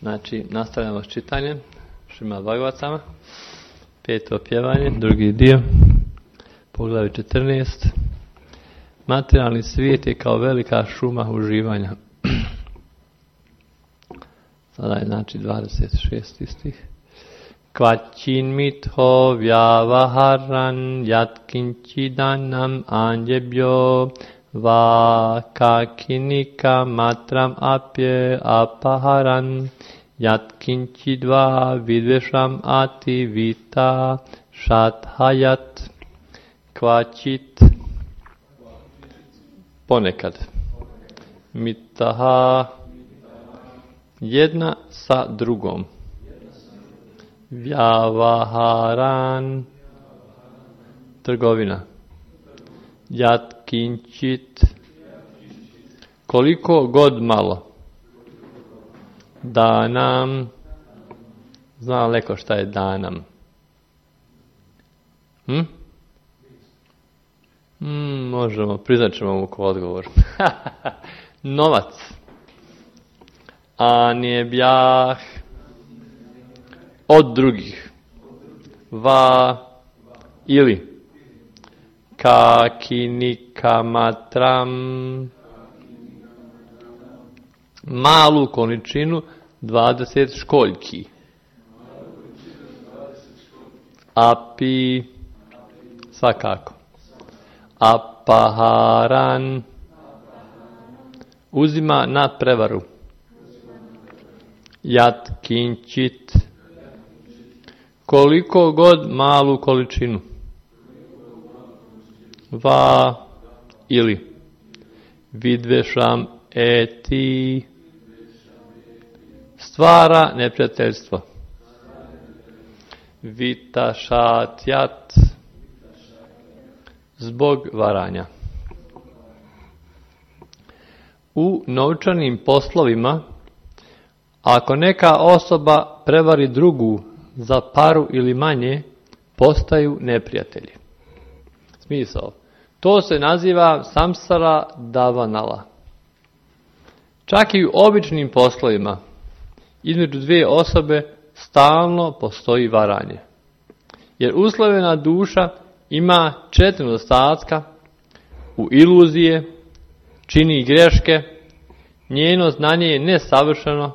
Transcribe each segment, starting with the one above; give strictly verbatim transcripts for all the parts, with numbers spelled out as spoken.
Znači, nastavljamo s čitanjem Šrimad Bhagavatam, peto pjevanje, drugi dio, poglavlje četrnaest. Materijalni svijet je kao velika šuma uživanja. Sada je znači dvadeset šesti stih. Kvačin mitho vyavaharan yatkinchidanam anjebhyo va kakinika matram apye apaharan yatkinchidva vidvesham ati vita shathayat. Kvačit ponekad, mitaha jedna sa drugom, vyavaharan trgovina, yatkinchit koliko god malo, danam, zna leko šta je danam? Hm? Hmm, možemo, priznat ćemo mu ko odgovor. Novac. Anjebhjah od drugih. Va ili kakinikammatram malu količinu dvadeset školjki. Api svakako. Apaharan uzima na prevaru. Yatkinchit koliko god malu količinu. Va ili vidvešam eti stvara neprijateljstvo. Vitašatjat zbog varanja. U novčanim poslovima, ako neka osoba prevari drugu za paru ili manje, postaju neprijatelji. Smisao. To se naziva samsara davanala. Čak i u običnim poslovima, između dvije osobe stalno postoji varanje. Jer uslovljena duša ima četiri nedostatka, u iluzije, čini greške, njeno znanje je nesavršeno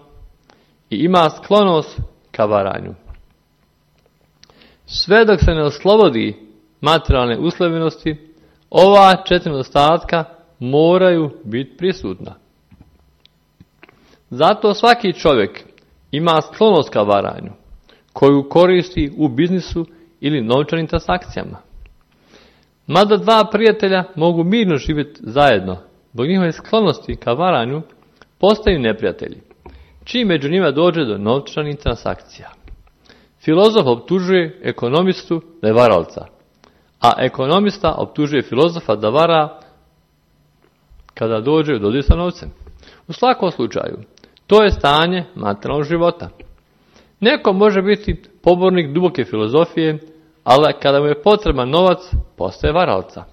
i ima sklonost ka varanju. Sve dok se ne oslobodi materijalne uslovljenosti, ova četiri nedostatka moraju biti prisutna. Zato svaki čovjek ima sklonost ka varanju, koju koristi u biznisu ili novčanim transakcijama. Mada dva prijatelja mogu mirno živjeti zajedno, zbog njihove sklonosti ka varanju postaju neprijatelji, čim među njima dođe do novčanih transakcija. Filozof optužuje ekonomistu da je varalca, a ekonomista optužuje filozofa da vara kada dođe u dodir sa novcem. U svakom slučaju, to je stanje materijalnog života. Neko može biti pobornik duboke filozofije, ali kada mu je potreban novac, postaje varalca.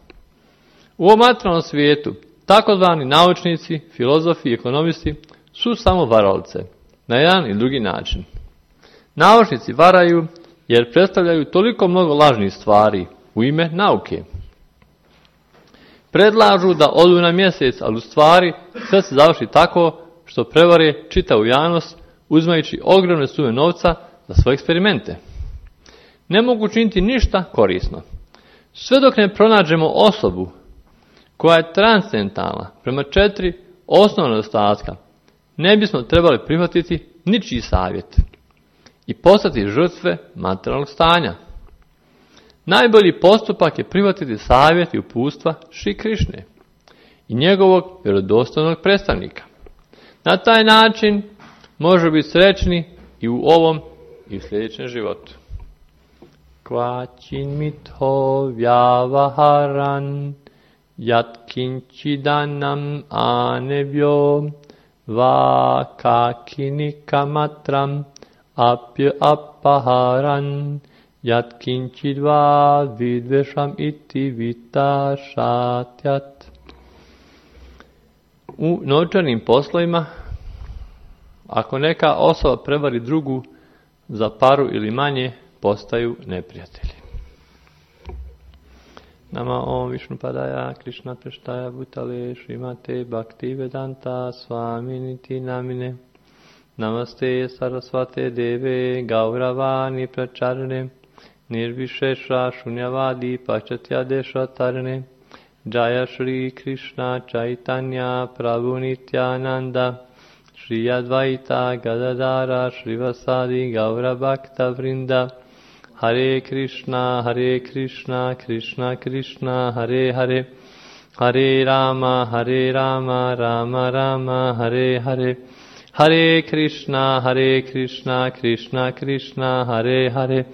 U ovom materijalnom svijetu, takozvani naučnici, filozofi i ekonomisti su samo varalce, na jedan i drugi način. Naučnici varaju jer predstavljaju toliko mnogo lažnih stvari u ime nauke. Predlažu da odu na mjesec, ali u stvari sve se završi tako što prevare čitavu javnost uzimajući ogromne sume novca za svoje eksperimente. Ne mogu činiti ništa korisno. Sve dok ne pronađemo osobu koja je transcendentalna prema četiri osnovna nedostatka, ne bismo trebali prihvatiti ničiji savjet i postati žrtve materijalnog stanja. Najbolji postupak je prihvatiti savjet i uputstva Šri Krišne i njegovog vjerodostojnog predstavnika. Na taj način može biti srećni i u ovom i u sljedećem životu. Kvačin mitho vyavaharan yatkinchidanam anebhyo va kakinika apya apaharan yatkinchidva vidvesham iti vitašatjat. U novčanim poslovima, Ako neka osoba prevari drugu za paru ili manje, postaju neprijatelji. Nama om Višnu Padaya, Krishna Preštaja Bhutale, Šrimate Bhakti Vedanta Svaminiti Namine. Namaste Sarasvate Deve, Gauravani Pracharne, Nirvishesha Shunyavadi Pachatyadesha Tarne, Jaya Shri Krishna Chaitanya Prabhu Nityananda, Shri Advaita Gadadara Shrivasadi Gaura Bhakta Vrinda, Hare Krishna, Hare Krishna, Krishna Krishna, Hare Hare, Hare Rama, Hare Rama, Rama Rama, Hare Hare, Hare Krishna, Hare Krishna, Krishna Krishna, Hare Hare,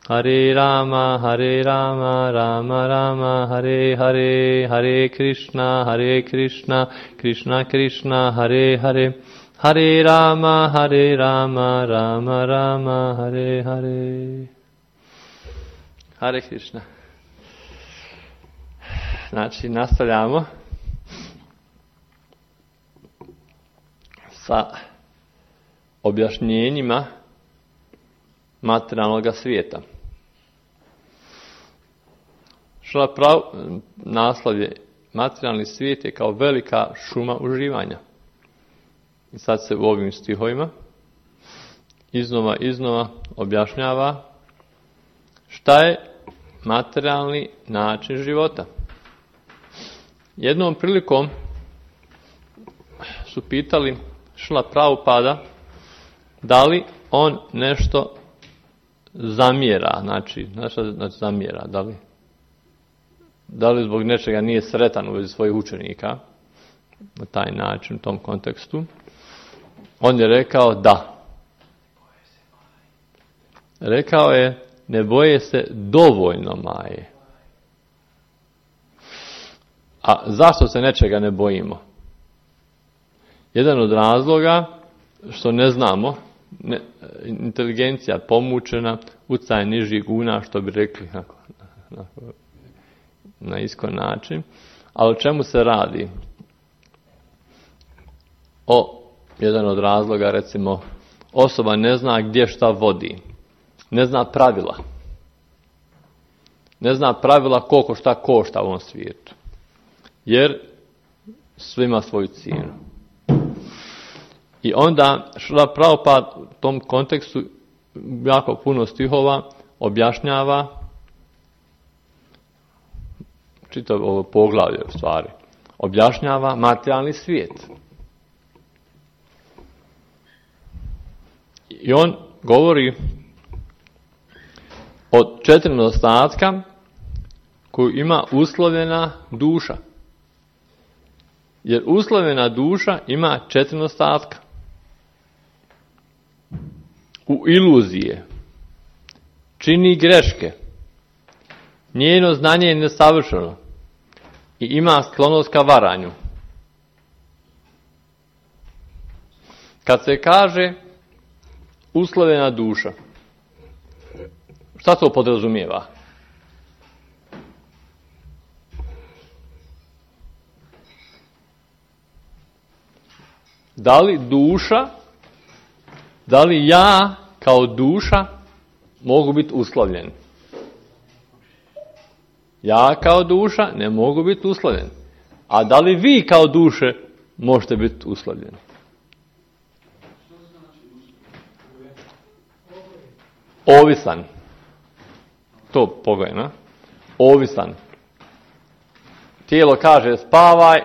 Hare Rama, Hare Rama, Rama Rama, Hare Hare, Hare Krishna, Hare Krishna, Krishna Krishna, Hare Hare, Hare Rama, Hare Rama, Rama Rama, Hare Hare. Hare Krishna. Znači, nastavljamo sa objašnjenjima materijalnog svijeta. Šla prav, naslov je materijalni svijet je kao velika šuma uživanja. I sad se u ovim stihovima iznova iznova objašnjava šta je materijalni način života. Jednom prilikom su pitali Šrila Prabhupada da li on nešto zamjera, znači, znači, znači zamjera, da li, da li zbog nečega nije sretan u vezi svojih učenika, na taj način, u tom kontekstu. On je rekao da. Rekao je, ne boje se dovoljno maje. A zašto se nečega ne bojimo? Jedan od razloga što ne znamo, ne, inteligencija pomučena, utjecaj nižih guna, što bi rekli na, na, na iskon način. Ali o čemu se radi? O, jedan od razloga, recimo, osoba ne zna gdje šta vodi. Ne zna pravila. Ne zna pravila koliko šta košta u ovom svijetu. Jer sve ima svoju cijenu. I onda Šrila Prabhupada u tom kontekstu jako puno stihova objašnjava čitav ovo poglavlje u stvari. Objašnjava materijalni svijet. I on govori od četiri nedostatka koju ima uslovljena duša. Jer uslovljena duša ima četiri nedostatka. U iluzije, čini greške, njeno znanje je nesavršeno i ima sklonost ka varanju. Kad se kaže uslovljena duša, šta to podrazumijeva? Da li duša, da li ja kao duša mogu biti uslovljen? Ja kao duša ne mogu biti uslovljen. A da li vi kao duše možete biti uslovljeni? Ovisan. To pogledaj, ovisan. Tijelo kaže spavaj,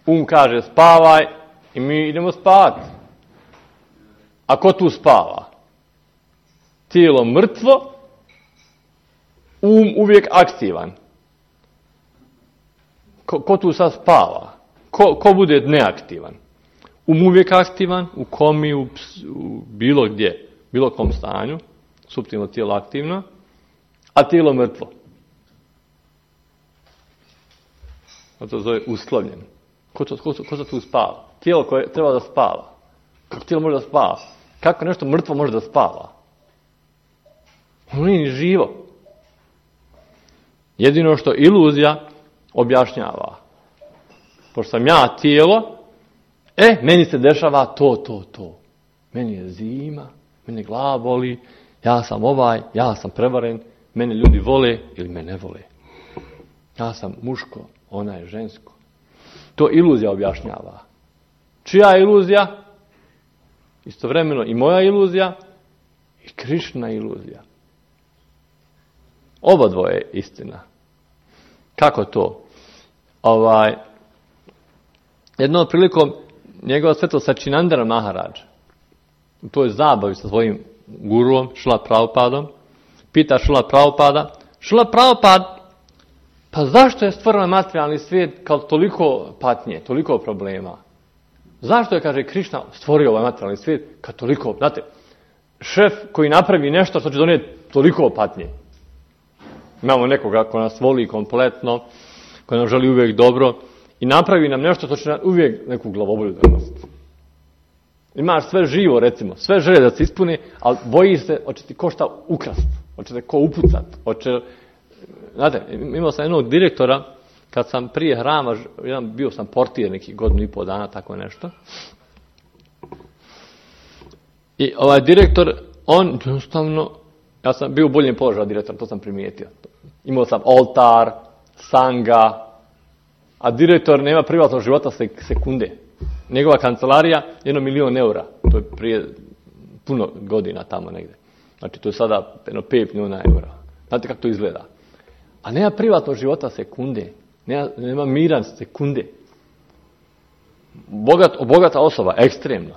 um kaže spavaj i mi idemo spavati. A ko tu spava? Tijelo mrtvo, um uvijek aktivan. Ko, ko tu sad spava? Ko, ko bude neaktivan? Um uvijek aktivan, u komi, u, u bilo gdje, bilo kom stanju, suptilno tijelo aktivno, a tijelo mrtvo. To se zove uslovljen. Ko, ko, ko, ko se tu spava? Tijelo koje treba da spava. Kako tijelo može da spava? Kako nešto mrtvo može da spava? Ono nije ni živo. Jedino što iluzija objašnjava. Pošto sam ja tijelo, e, meni se dešava to, to, to. meni je zima, meni glava boli, ja sam ovaj, ja sam prevaren, mene ljudi vole ili me ne vole. Ja sam muško, ona je žensko. To iluzija objašnjava. Čija je iluzija? Istovremeno i moja iluzija i Krišna iluzija. Oba dvoje je istina. Kako to? Ovaj, jednom prilikom njegova svetost Sačinandana Maharadža u toj zabavi sa svojim guruom, Šrila Prabhupadom, pita Šrila Prabhupada, Šrila Prabhupad, pa zašto je stvoren materijalni svijet kao toliko patnje, toliko problema? Zašto je, kaže, Krišna stvorio ovaj materijalni svijet kao toliko, znate, šef koji napravi nešto što će donijeti toliko patnje. Imamo nekoga ko nas voli kompletno, ko nam želi uvijek dobro i napravi nam nešto što će nam uvijek neku glavobolju donositi. Imaš sve živo, recimo, sve želje da se ispuni, ali boji se, hoće ti ko šta ukrast, hoće te ko upucat, hoće... Znate, imao sam jednog direktora, kad sam prije hrama, jedan, bio sam portir neki godinu i pol dana, tako nešto. I ovaj direktor, on jednostavno, ja sam bio u boljem položaju direktor, to sam primijetio. Imao sam oltar, sanga, a direktor nema privatnog života sekunde. Njegova kancelarija, jedno milion eura, to je prije puno godina tamo negdje. Znači, to je sada jedno pet milijuna eura. Znate kako to izgleda? A nema privatnog života sekunde. Nema, nema miran sekunde. Bogat, bogata osoba, ekstremna.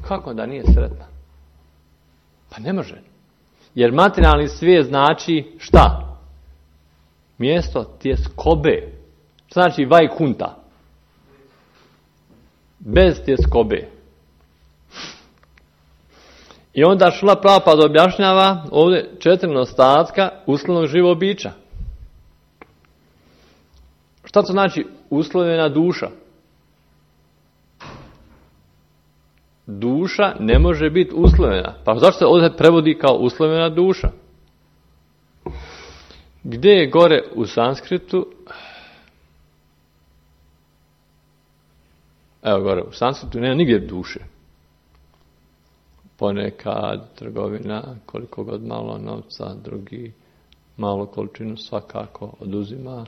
Kako da nije sretna? Pa ne može. Jer materijalni svijet znači šta? Mjesto tjeskobe. Šta znači vajkunta? Bez tjeskobe. I onda Šrila Prabhupada objašnjava ovdje četiri nedostatka uslovnog živog bića. Šta to znači uslovljena duša? Duša ne može biti uslovljena. Pa zašto se ovdje prevodi kao uslovljena duša? Gdje je gore u sanskritu? Evo gore, u sanskritu nema nigdje duše. Ponekad trgovina, koliko god malo novca, drugi malo količinu svakako oduzima,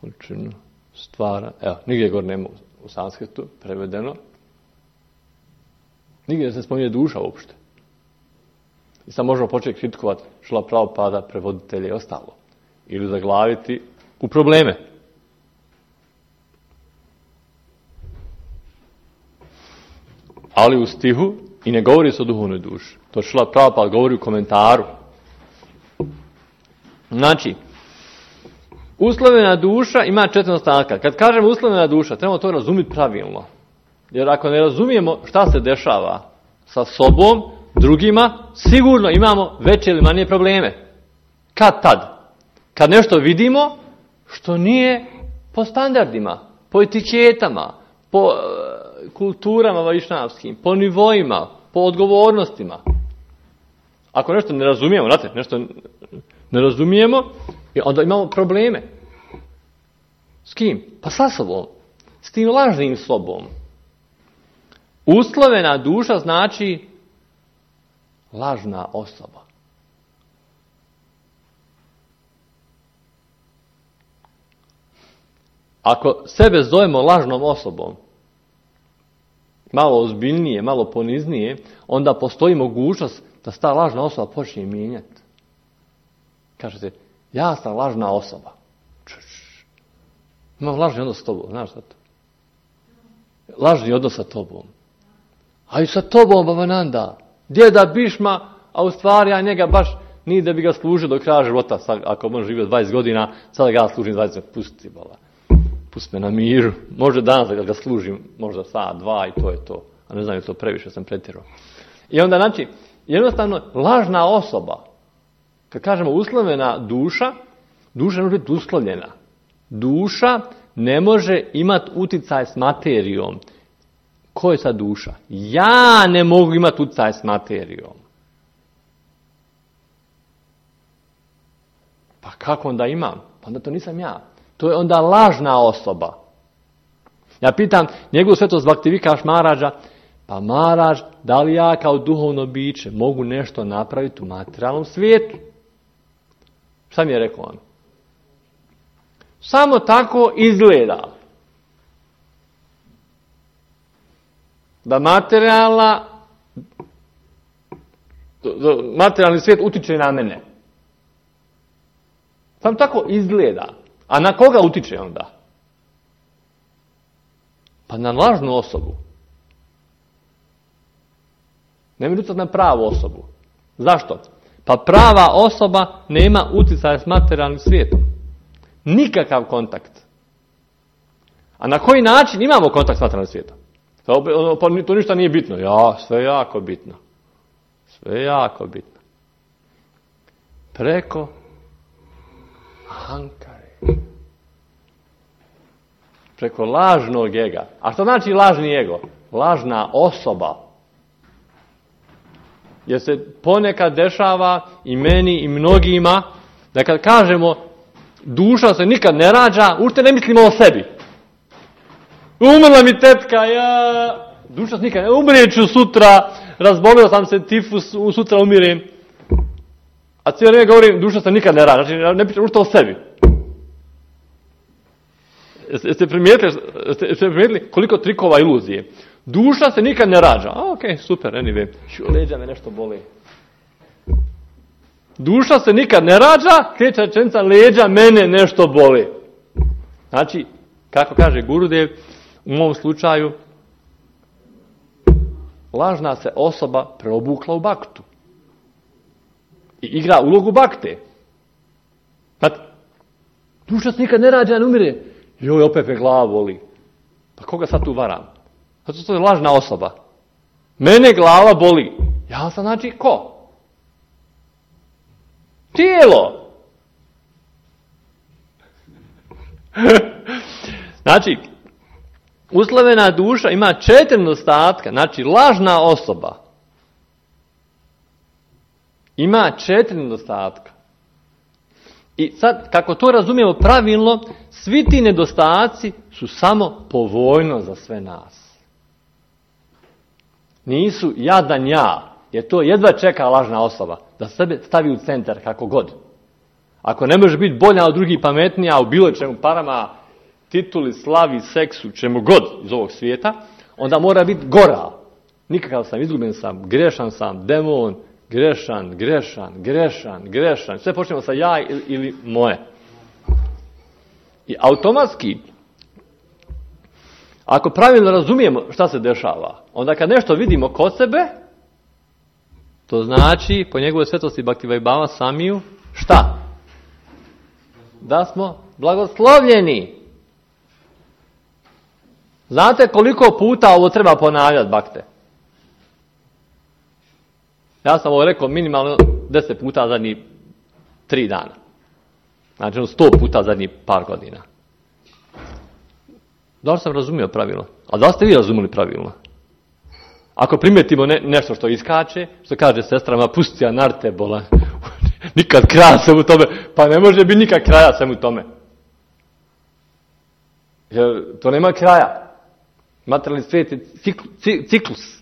količinu stvara. Evo, nigdje gore nema u sanskritu prevedeno. Nigdje se spominje duša uopšte. I sad možemo početi kritikovati Šrila Prabhupada, prevoditelje i ostalo. Ili zaglaviti u probleme. Ali u stihu i ne govori se o duhovnoj duši. To Šrila Prabhupada govori u komentaru. Znači, uslovljena duša ima četiri nedostatka. Kad kažemo uslovljena duša, trebamo to razumjeti pravilno. Jer ako ne razumijemo šta se dešava sa sobom, drugima, sigurno imamo veće ili manje probleme. Kad tad? Kad nešto vidimo što nije po standardima, po etiketama, po uh, kulturama vajšnavskim, po nivoima, po odgovornostima. Ako nešto ne razumijemo, znate, nešto ne razumijemo, onda imamo probleme. S kim? Pa sa sobom. S tim lažnim sobom. Uslovena duša znači lažna osoba. Ako sebe zovemo lažnom osobom, malo ozbiljnije, malo poniznije, onda postoji mogućnost da se ta lažna osoba počne mijenjati. Kažete, ja sam lažna osoba. Čuš. Imam lažni odnos s tobom, znaš šta to? Lažni odnos sa tobom. A i sa tobom, Bhavananda, djeda Bišma, a u stvari ja njega baš nije da bi ga služio do kraja života, sad, ako on živio dvadeset godina, sada ga služim dvadeset, pusti, bala. Pusti me na miru. Može danas da ga služim, možda sat, dva i to je to. A ne znam je to previše, sam pretjerao. I onda, znači, jednostavno, lažna osoba, kad kažemo uslovljena duša, duša ne može biti uslovljena. Duša ne može imati uticaj s materijom. Ko je sad duša? Ja ne mogu imati utjecaj s materijom. Pa kako onda imam? Pa onda to nisam ja. To je onda lažna osoba. Ja pitam njegov svetost Bhaktivikaš Maharađa, Pa maraš, da li ja kao duhovno biće mogu nešto napraviti u materijalnom svijetu? Šta mi je rekao on? Samo tako izgleda. Da materijalna, materijalni svijet utiče na mene. Samo tako izgleda. A na koga utiče onda? Pa na lažnu osobu. Ne može utjecati na pravu osobu. Zašto? Pa prava osoba nema utjecaja s materijalnim svijetom. Nikakav kontakt. A na koji način imamo kontakt s materijalnim svijetom? Pa to ništa nije bitno. Ja, sve je jako bitno. Sve je jako bitno. Preko ahankare. Preko lažnog ega. A što znači lažni ego? Lažna osoba. Jer se ponekad dešava i meni i mnogima da kad kažemo duša se nikad ne rađa, ušte ne mislimo o sebi. Umrla mi tetka, ja... Duša se nikad ne... Umrijet ću sutra, razbolio sam se tifus, sutra umirem. A cijelo vrijeme govorim, duša se nikad ne rađa, znači ne pričam ušte o sebi. Jeste primijetili, jeste primijetili koliko trikova iluzije? Duša se nikad ne rađa. A, ok, super, anyway. Šu, leđa me nešto boli. Duša se nikad ne rađa, kreće rečenica, leđa mene nešto boli. Znači, kako kaže Gurudev, u mom slučaju, lažna se osoba preobukla u baktu. I igra ulogu bakte. Znate, duša se nikad ne rađa, ne umire. Joj, opet me glava boli. Pa koga sad tu varam? Zato to je lažna osoba. Mene glava boli. Ja sam znači ko? Tijelo. Znači, uslovena duša ima četiri nedostatka. Znači, lažna osoba ima četiri nedostatka. I sad, kako to razumijemo pravilno, svi ti nedostaci su samo povoljno za sve nas. Nisu jadan ja, jer to jedva čeka lažna osoba, da sebe stavi u centar kako god. Ako ne može biti bolja od drugih, pametnija u bilo čemu, parama, tituli, slavi, seksu, čemu god iz ovog svijeta, onda mora biti gora. Nikakav sam, izgubljen sam, grešan sam, demon, grešan, grešan, grešan, grešan. Sve počnemo sa ja ili, ili moje. I automatski, ako pravilno razumijemo šta se dešava, onda kad nešto vidimo kod sebe, to znači, po njegovoj svetosti Bhaktivaibhava Samiju, šta? Da smo blagoslovljeni. Znate koliko puta ovo treba ponavljati, bakte? Ja sam ovo rekao minimalno deset puta zadnjih tri dana. Znači sto puta zadnjih par godina. Da li sam razumio pravilno? A da li ste vi razumili pravilno? Ako primijetimo ne, nešto što iskače, što kaže sestrama, pusti ja narte bola. Nikad kraja sam u tome. Pa ne može biti nikad kraja sam u tome. Jer to nema kraja. Materijalni svijet je cikl, ciklus.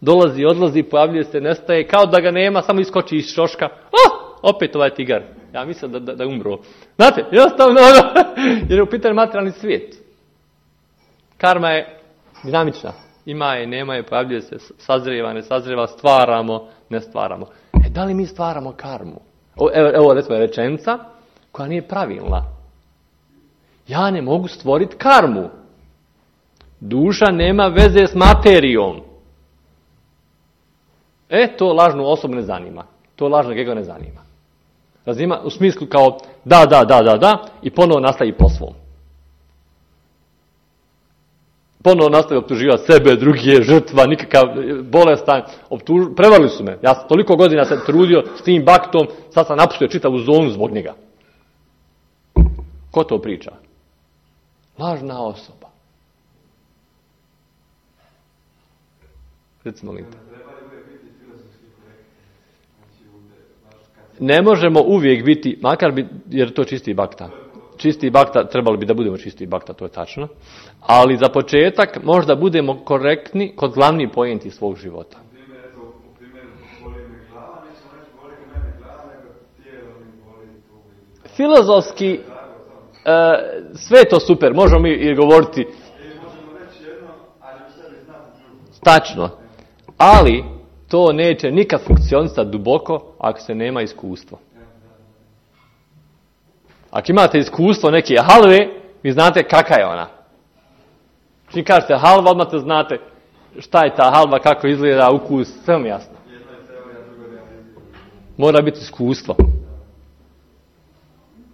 Dolazi, odlazi, pojavljuje se, nestaje, kao da ga nema, samo iskoči iz šoška. Oh, opet ovaj tigar. Ja mislim da, da, da je umro. Znate, jednostavno, jer je u pitanju materijalni svijet. Karma je dinamična. Ima je, nema je, pojavljuje se, sazrijeva, ne sazrijeva, stvaramo, ne stvaramo. E, da li mi stvaramo karmu? O, evo, evo, recimo, rečenica koja nije pravilna. Ja ne mogu stvoriti karmu. Duša nema veze s materijom. E, to lažnu osobu ne zanima. To lažnog ego ne zanima. Razima u smislu kao da, da, da, da, da i ponovo nastavi po svom. Ponovo nastavi optuživati sebe, drugi, žrtva, nikakav bolestan. Optuž... Prevarili su me. Ja sam toliko godina se trudio s tim baktom, sad sam napustio čitavu zonu zbog njega. Ko to priča? Lažna osoba. Recimo li. Ne možemo uvijek biti, makar bi, jer to čisti bakta. čisti bakta, trebali bi da budemo čisti bakta, to je tačno. Ali za početak možda budemo korektni kod glavnih pojenti svog života. Filozofski, e, sve je to super, možemo mi i govoriti. Tačno. Ali to neće nikad funkcionisati duboko ako se nema iskustvo. Ako imate iskustvo neke halve, vi znate kakva je ona. Čim kažete halva, odmah te znate šta je ta halva, kako izgleda, ukus, sve vam jasno. Mora biti iskustvo.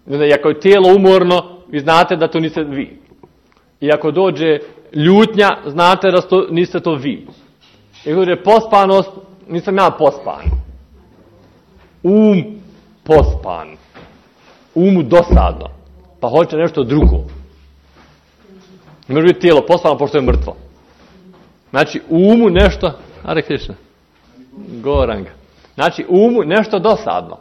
I ako je tijelo umorno, vi znate da to niste vi. I ako dođe ljutnja, znate da to, niste to vi. I ako dođe pospanost, nisam ja pospan. Um pospan. Umu dosadno. Pa hoće nešto drugo. Ne može biti tijelo pospano pošto je mrtvo. Znači, umu nešto... Hare Krishna. Goranga. Znači, umu nešto dosadno.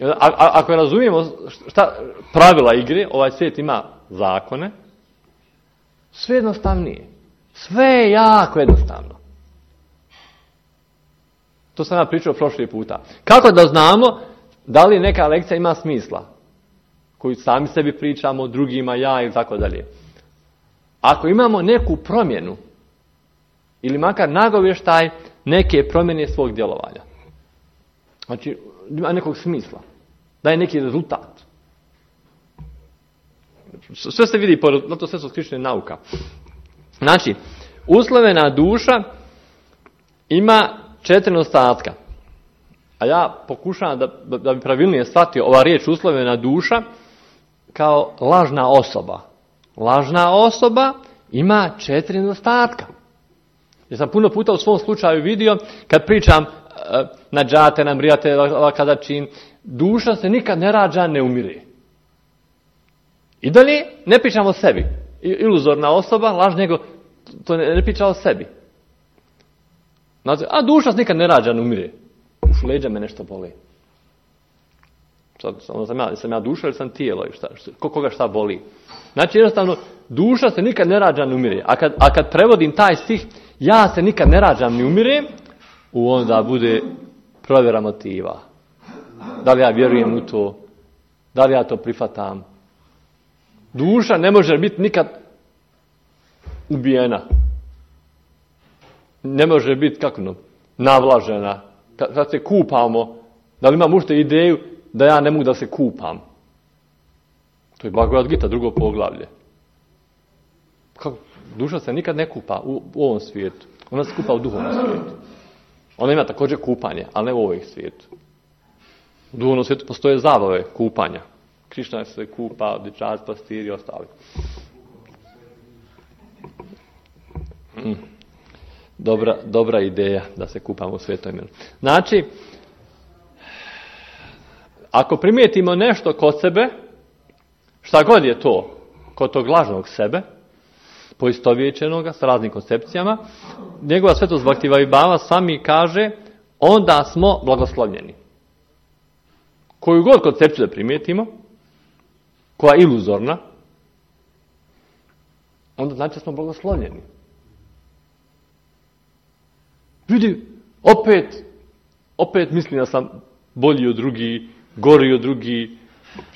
A, a, ako razumijemo šta pravila igre, ovaj svijet ima zakone, sve jednostavnije. Sve je jako jednostavno. To sam ja pričao prošli puta. Kako da znamo da li neka lekcija ima smisla? Koju sami sebi pričamo, drugima, ja i tako dalje. Ako imamo neku promjenu, ili makar nagovještaj neke promjene svog djelovanja. Znači, ima nekog smisla. Daje neki rezultat. Sve se vidi, na to sve su skrišne nauka. Znači, uslovena duša ima četiri nedostatka. A ja pokušavam da, da bi pravilnije shvatio ova riječ uslovena duša kao lažna osoba. Lažna osoba ima četiri nedostatka. Ja sam puno puta u svom slučaju vidio, kad pričam na džate, na mrijate, kada čin, duša se nikad ne rađa, ne umire. I dalje ne pričamo o sebi. Iluzorna osoba, laž njego, to ne, ne priča o sebi. Znači, a duša se nikad ne rađa, ne umire. Uš leđa me nešto boli. Sad, sam, ja, sam ja duša ili sam tijelo? Šta, šta, koga šta boli? Znači, jednostavno, duša se nikad ne rađa, ne umire. A kad, a kad prevodim taj stih, ja se nikad ne rađam, ne umirem, u onda bude provjera motiva. Da li ja vjerujem u to? Da li ja to prihvatam? Duša ne može biti nikad ubijena. Ne može biti, kako no, navlažena. Kad, kad se kupamo, da li imam ušte ideju da ja ne mogu da se kupam? To je Bhagavad Gita, drugo poglavlje. Kako? Duša se nikad ne kupa u, u ovom svijetu. Ona se kupa u duhovnom svijetu. Ona ima također kupanje, ali ne u ovoj svijetu. U duhovnom svijetu postoje zabave kupanja. Krišna se kupa, dječac, pastir i ostali. Mm. Dobra, dobra ideja da se kupamo u svetom imenu. Znači, ako primijetimo nešto kod sebe, šta god je to, kod tog lažnog sebe, poistovjećenoga s raznim koncepcijama, njegova svetost Bhaktivinoda sami kaže, onda smo blagoslovljeni. Koju god koncepciju da primijetimo, koja je iluzorna, onda znači da smo blagoslovljeni. Ljudi, opet, opet mislim da sam bolji od drugi, gori od drugi,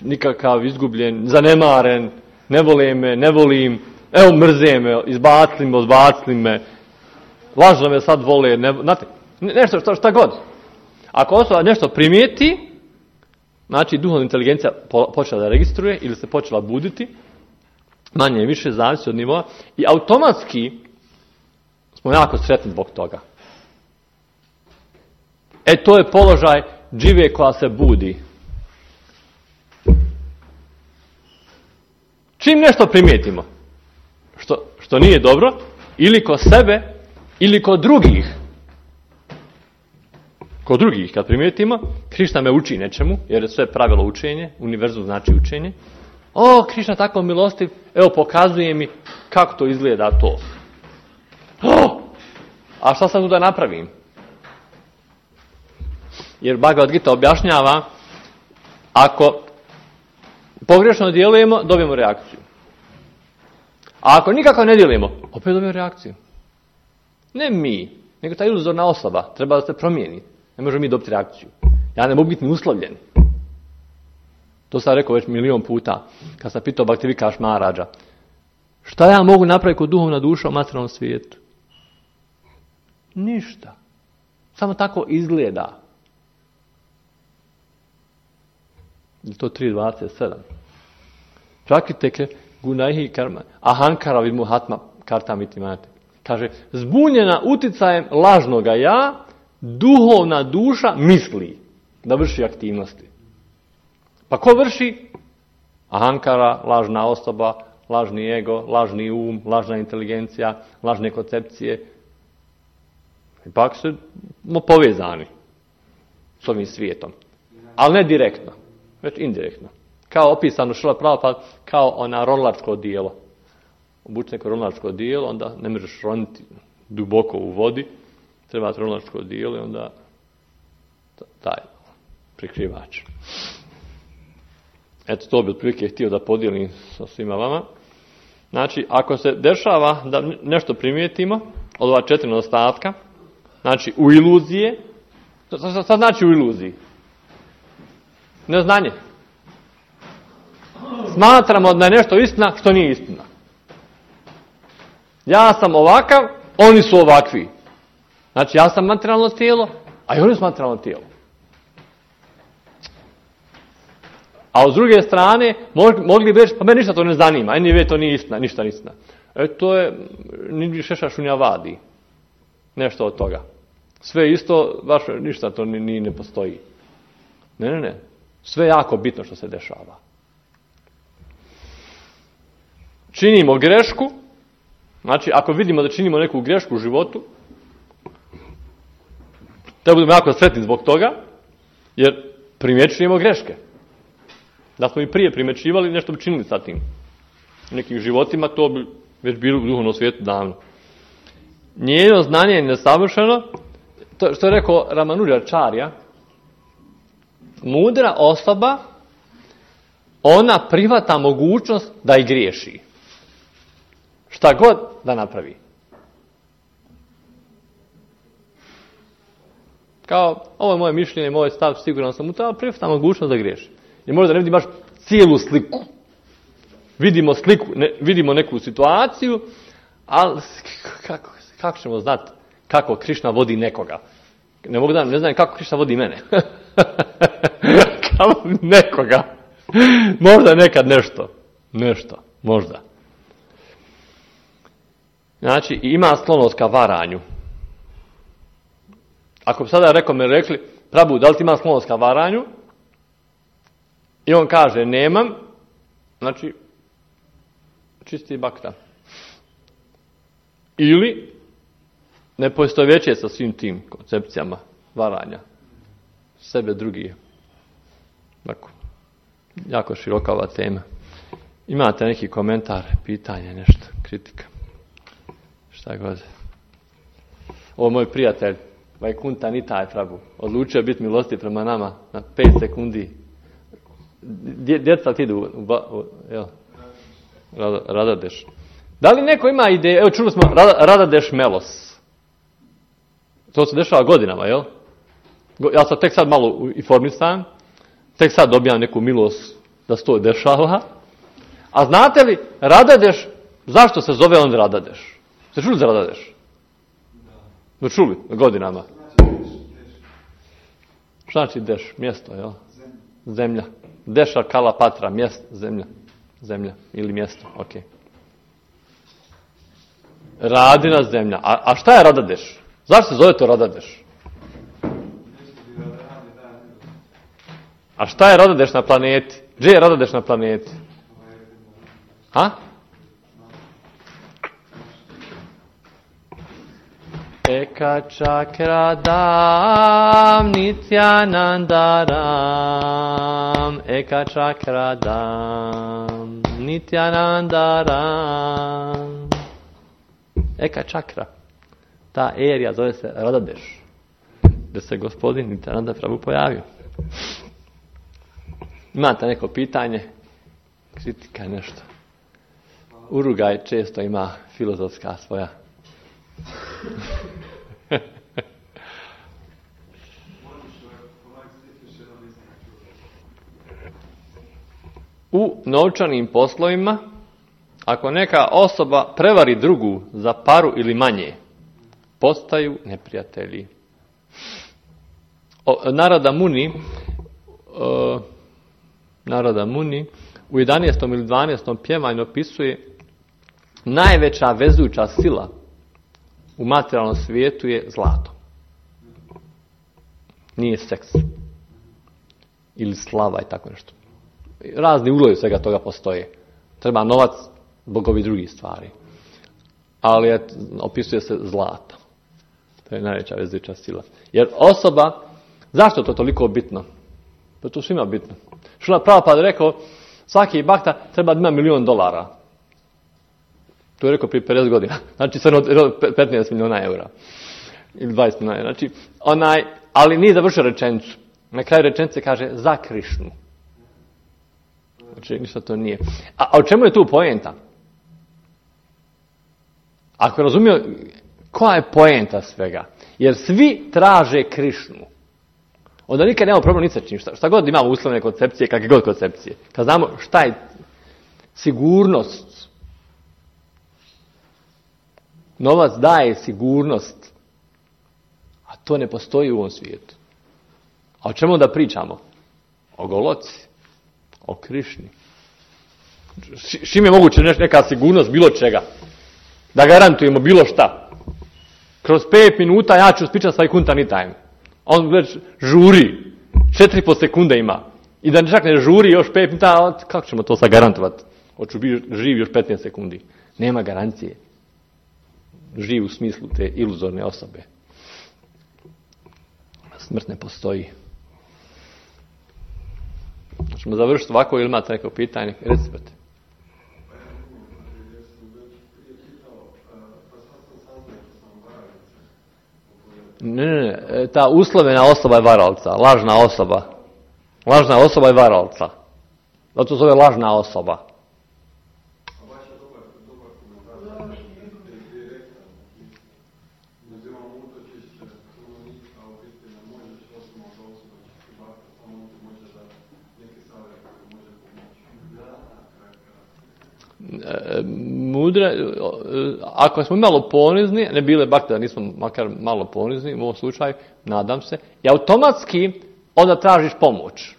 nikakav izgubljen, zanemaren, ne vole me, ne volim, evo mrze me, izbacili me, odbacili me, lažno me sad vole, ne, znate, nešto šta, šta god. Ako osoba nešto primijeti, znači duhovna inteligencija počela da registruje ili se počela buditi, manje i više zavisi od nivoa i automatski smo jako sretni zbog toga. E, to je položaj džive koja se budi. Čim nešto primijetimo, što, što nije dobro, ili kod sebe, ili kod drugih, kod drugih kad primijetimo, Krišna me uči nečemu, jer je sve pravilo učenje, univerzum znači učenje. O, Krišna tako milostiv, evo pokazuje mi kako to izgleda to. O, a šta sam tu da napravim? Jer Bhagavad Gita objašnjava, ako pogrešno djelujemo, dobijemo reakciju. A ako nikako ne djelujemo, opet dobijemo reakciju. Ne mi, nego ta iluzorna osoba treba da se promijeni. Ne možemo mi dobiti reakciju. Ja ne mogu biti ni uslovljen. To sam rekao već milion puta, kad sam pitao Bhaktivikaš Maharađa. Šta ja mogu napraviti kod duhovna duša u materijalnom svijetu? Ništa. Samo tako izgleda. Je to tri dvadeset sedam. Prakriteke gunaihi karma. Ahankara vimuhatma kartamiti mate. Kaže, zbunjena uticajem lažnoga ja, duhovna duša misli da vrši aktivnosti. Pa ko vrši? Ahankara, lažna osoba, lažni ego, lažni um, lažna inteligencija, lažne koncepcije. Ipak su povezani s ovim svijetom. Ali ne direktno, već indirektno. Kao opisano Šrila Prabhupada, kao ona ronilačko dijelo. Obuči neko ronilačko dijelo, onda ne možeš roniti duboko u vodi. Treba ronilačko dijelo i onda taj prikrivač. Eto, to bi otprilike htio da podijelim sa svima vama. Znači, ako se dešava da nešto primijetimo od ova četiri nedostatka, znači u iluzije, šta znači u iluziji? Neznanje. Smatramo da je nešto istina što nije istina. Ja sam ovakav, oni su ovakvi. Znači, ja sam materijalno tijelo, a i oni su materijalno tijelo. A s druge strane, mogli bi reći, pa meni ništa to ne zanima, eni to nije istina, ništa nije istina. E, to je, ni šeša šunja vadi. Nešto od toga. Sve isto, baš ništa to ni, ni ne postoji. Ne, ne, ne. Sve je jako bitno što se dešava. Činimo grešku, znači ako vidimo da činimo neku grešku u životu, da budemo jako sretni zbog toga, jer primjećujemo greške. Da smo i prije primjećivali, nešto bi činili sa tim. U nekim životima to bi već bilo u duhovnom svijetu davno. Njeno znanje je nesavršeno, to što je rekao Ramanujačarya, mudra osoba, ona prihvata mogućnost da i griješi. Šta god da napravi. Kao, ovo je moje mišljenje, moj stav, siguran sam u to, ali prihvata mogućnost da griješi. I možda ne vidi baš cijelu sliku. Vidimo sliku, ne, vidimo neku situaciju, ali kako, kako ćemo znati kako Krišna vodi nekoga? Ne mogu da, ne znam kako Krišna vodi mene. Kako nekoga. Možda nekad nešto. Nešto, možda. Znači, ima sklonost ka varanju. Ako bi sada rekao, me rekli, Prabhu, da li ti ima sklonost ka varanju? I on kaže, nemam, znači, čisti bakta. Ili ne poistovjećuje sa svim tim koncepcijama varanja. Sebe drugi. Tako. Jako široka ova tema. Imate neki komentar, pitanje, nešto, kritika? Šta god. Ovo moj prijatelj, Vajkunta Nitai Prabhu, odlučio biti milostiv prema nama na pet sekundi. Djeca ti idu u, u, jel, Radadeš. Da li neko ima ideju, evo čuli smo Radadeš Melos. To se dešava godinama, jel? Ja sam tek sad malo informisan, tek sad dobijam neku milost da se to dešava. A znate li, Radadeš, zašto se zove on Radadeš? Ste čuli za Radadeš? No čuli, godinama. Šta znači Deš? Mjesto, jel? Zemlja. Deša Kala Patra, mjesto, zemlja. Zemlja ili mjesto, ok. Radina zemlja. A, a šta je Radadeš? Zašto se zove to Radadeš? A šta je Radadeš na planeti? Gdje je Radadeš na planeti? Ha? Eka čakradam nityanandaram, eka čakradam nityanandaram. Eka čakra. Ta erija zove se Radadeš, gdje se gospodin Nityananda Prabhu pojavio. Imate neko pitanje Kritika je nešto. Urugaj često ima filozofska svoja. U novčanim poslovima, ako neka osoba prevari drugu za paru ili manje, postaju neprijatelji. O, Narada Muni, o, Narada Muni u jedanaestom ili dvanaestom pjevanju opisuje najveća vezujuća sila u materijalnom svijetu je zlato. Nije seks. Ili slava i tako nešto. Razni uglovi svega toga postoje. Treba novac zbog ovih drugih stvari. Ali je, opisuje se zlato. To je najveća vezujuća sila. Jer osoba, zašto je to toliko bitno? To je to svima bitno. Šrila Prabhupada rekao, svaki bakta treba da ima milion dolara. To je rekao prije pedeset godina. Znači sve petnaest milijuna eura. Ili dvadeset milijuna eura. Znači, onaj, ali nije završio rečenicu. Na kraju rečenice kaže za Krišnu. Znači, ništa to nije. A, a o čemu je tu poenta? Ako je razumio, koja je poenta svega? Jer svi traže Krišnu. Onda nikad nemamo problem ni sa čim. Šta, šta god imamo uslovne koncepcije, kakve god koncepcije. Kad znamo šta je sigurnost. Novac daje sigurnost. A to ne postoji u ovom svijetu. A o čemu onda pričamo? O goloci. O Krišni. Čim je moguće neka sigurnost bilo čega. Da garantujemo bilo šta. Kroz pet minuta ja ću spičati svoj kuntani time. On već žuri. Četiri po sekunde ima. I da čak ne žuri još pet minuta, kako ćemo to sad garantovati? Hoću biti živ još petnaest sekundi. Nema garancije. Živ u smislu te iluzorne osobe. Smrt ne postoji. Ćemo završiti ovako ili imate neko pitanje? Recite. Ne, ne, ne. Ta uslovena osoba je varalca. Lažna osoba. Lažna osoba je varalca. Zato se zove lažna osoba. Mudre, ako smo malo ponizni, ne bile bakte da nismo makar malo ponizni u ovom slučaju, nadam se, i automatski onda tražiš pomoć.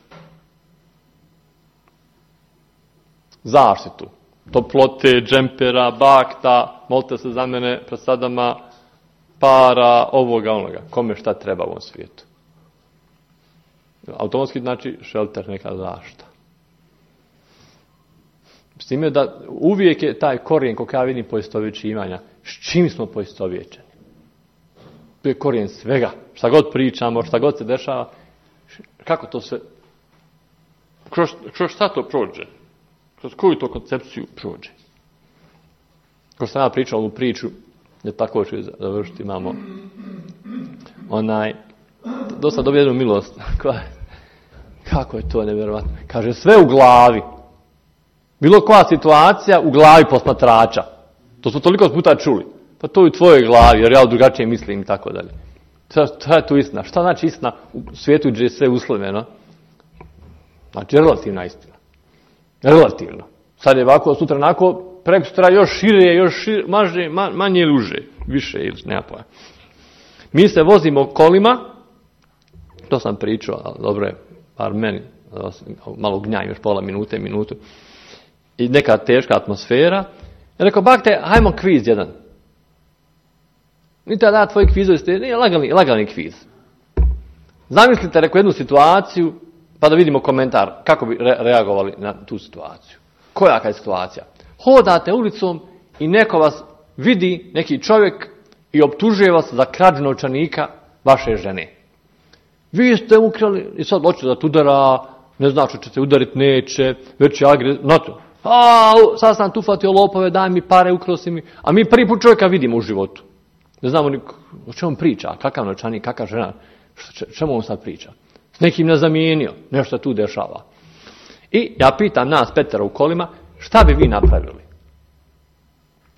Zaštitu. Toplote, džempera, bakta, molite se za mene, presadama, para, ovoga, onoga. Kome šta treba u ovom svijetu. Automatski znači šelter, neka zaštita. S time da uvijek je taj korijen, kako ja vidim, poistovjećivanja. S čim smo poistovjećeni? To je korijen svega. Šta god pričamo, šta god se dešava, kako to sve, kroz, kroz šta to prođe? Kroz koju to koncepciju prođe? Ko sam ja pričao ovu priču, je tako ću završiti, imamo onaj, dosta dobio jednu milost. Kako je to nevjerovatno? Kaže, sve u glavi. Bilo koja situacija u glavi posmatrača. To smo toliko puta čuli. Pa to je u tvojoj glavi, jer ja drugačije mislim i tako dalje. Šta je tu istina? Šta znači istina u svijetu gdje je sve usloveno? Znači, relativna istina. Relativno. Sad je ovako, sutra onako, preko sutra još šire, još šire, maže, manje ili uže. Više ili nema pojma. Mi se vozimo kolima, to sam pričao, ali dobro je, par meni, malo gnjaj, još pola minute, minutu. I neka teška atmosfera. Ja rekao, bakte, hajmo kviz jedan. Nite da tvoj kvizovi ste, nije lagani, lagani kviz. Zamislite, rekao, jednu situaciju, pa da vidimo komentar, kako bi re- reagovali na tu situaciju. Koja je situacija? Hodate ulicom i neko vas vidi, neki čovjek, i optužuje vas za krađu novčanika vaše žene. Vi ste ukrali, i sad hoće da te udara, ne znači će se udariti, neće, već je agres, znate. A, sad sam tu fatio lopove, daj mi pare, ukrao si mi. A mi prvi put čovjeka vidimo u životu. Ne znamo ni o čemu priča, kakav novčanik, kakva žena, čemu on sad priča. S nekim ne zamijenio, nešto tu dešava. I ja pitam nas petero u kolima, šta bi vi napravili?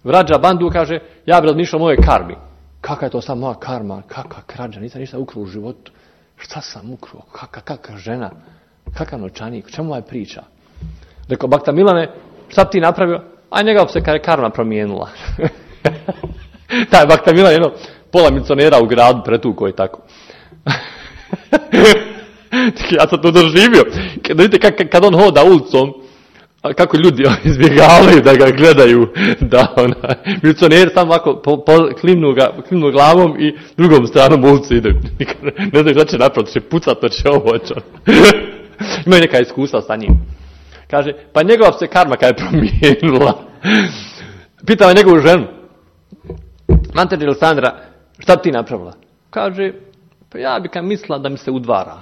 Vrađa Bandu kaže, ja bi razmišljao o mojoj karmi. Kakva je to sad moja karma? Kakva krađa? Nisam ništa ukrao u životu. Šta sam ukrao? Kakva, kakva žena? Kakav novčanik? Čemu ovaj priča? Rekao, Bakta Milane, šta bi ti napravio? A njega bi se kada je karma promijenila. Taj Bakta Milan jedno pola milicionera u gradu pretuko i tako. Ja sam to doživio. Kad, vidite, kad, kad on hoda ulicom, kako ljudi izbjegavaju da ga gledaju, da ona, milicioneri samo ovako po, po, klimnu, ga, klimnu glavom i drugom stranom ulici ide. Ne znam šta će napraviti, će pucat, to će ovo će. Imaju neka iskustva sa njim. Kaže, pa njegova se karma kada je promijenila. Pitao je njegovu ženu, Manteđe Alessandra, šta bi ti napravila? Kaže, pa ja bi kad mislila da mi se udvara.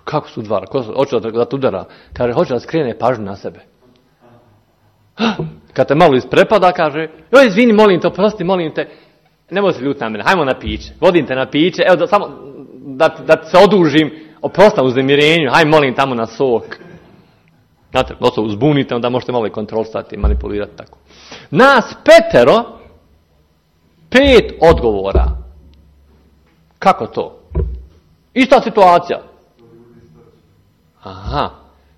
Kako se udvara? Ko hoće da te udara? Kaže, hoće da skrene pažnju na sebe. Kad te malo isprepada, kaže, joj, izvini, molim te, oprosti, molim te, nemoj se ljuti na mene, hajmo na piće, vodim te na piće, evo da, samo da, da se odužim, oprosti u uznemirenju, hajmo molim tamo na sok. Znate, da se uzbunite, onda možete malo i kontrolisati i manipulirati tako. Nas petero, pet odgovora. Kako to? Ista situacija. Aha.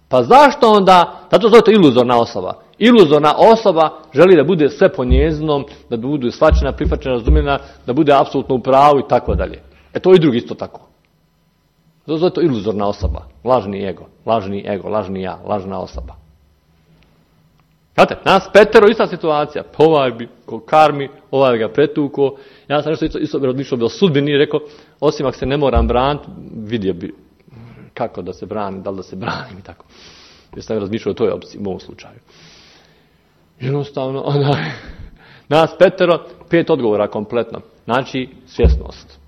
Pa zašto onda, zato zove to iluzorna osoba. Iluzorna osoba želi da bude sve po njezinom, da bude shvaćena, prihvaćena, razumljena, da bude apsolutno u pravu i tako dalje. E to i drugi isto tako. Zato zove to iluzorna osoba. Lažni ego, lažni ego, lažni ja, lažna osoba. Znate, nas petero, ista situacija. Pa ovaj bi ko karmi, ovaj ga pretuko. Ja sam nešto isto, isto razmišljao bio sudbini i rekao, osim ako se ne moram braniti, vidio bi kako da se brani, da li da se branim i tako. Jer sam razmišljao o toj opciji, u ovom slučaju. Jednostavno, onda, nas petero, pet odgovora kompletno. Znači, svjesnost.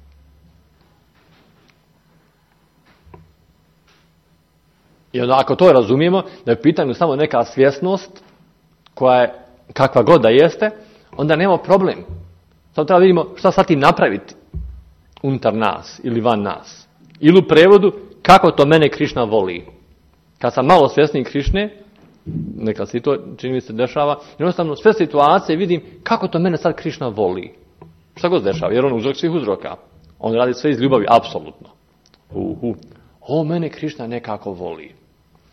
I onda ako to razumijemo, da je u pitanju samo neka svjesnost, koja je kakva god da jeste, onda nemamo problem. Samo treba vidimo šta sad ti napraviti unutar nas ili van nas. Ili u prevodu, kako to mene Krišna voli. Kad sam malo svjesniji Krišne, neka se to čini mi se dešava, jednostavno sve situacije vidim kako to mene sad Krišna voli. Šta god se dešava, jer on uzrok svih uzroka. On radi sve iz ljubavi, apsolutno. Uhu. O, mene Krišna nekako voli.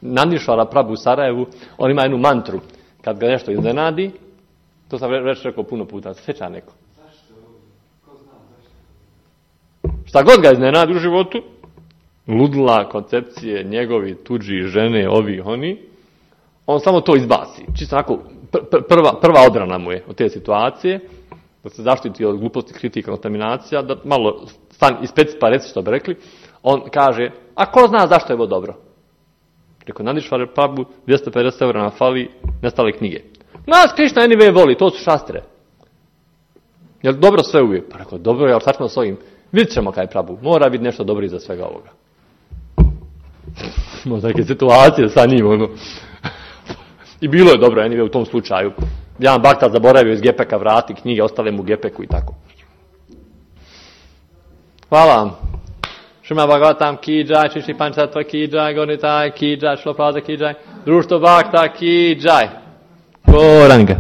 Nandišvara Prabhu u Sarajevu, on ima jednu mantru. Kad ga nešto iznenadi, to sam već rekao puno puta, sjeća neko. Zašto? Ko zna zašto? Šta god ga iznenadi u životu, ludila, koncepcije, njegovi, tuđi, žene, ovi, oni, on samo to izbaci. Čisto onako, prva, prva odrana mu je od te situacije, da se zaštiti od gluposti, kritika, kontaminacija, da malo stan ispeci pa reci što bi rekli, on kaže, a ko zna zašto je ovo dobro? Rekao, Nandišvar Prabhu, dvjesto pedeset eura na fali, nestale knjige. Nas Krišna anyway voli, to su šastre. Jel dobro sve uvijek? Pa rekao, dobro, jel sad ćemo s ovim? Vidjet ćemo kaj Prabhu, mora biti nešto dobro iza svega ovoga. Možda neke situacije sa njim, ono. I bilo je dobro, anyway, u tom slučaju. Jedan bakta zaboravio iz gepeka vrati knjige, ostale mu u gepeku i tako. Hvala vam. Šima Bhagavatam ki jai, Shri Panchatatva ki jai, Gonitai ki jai, Shlo Prabhupada ki jai, Društvo Bhakta ki jai. Goranga.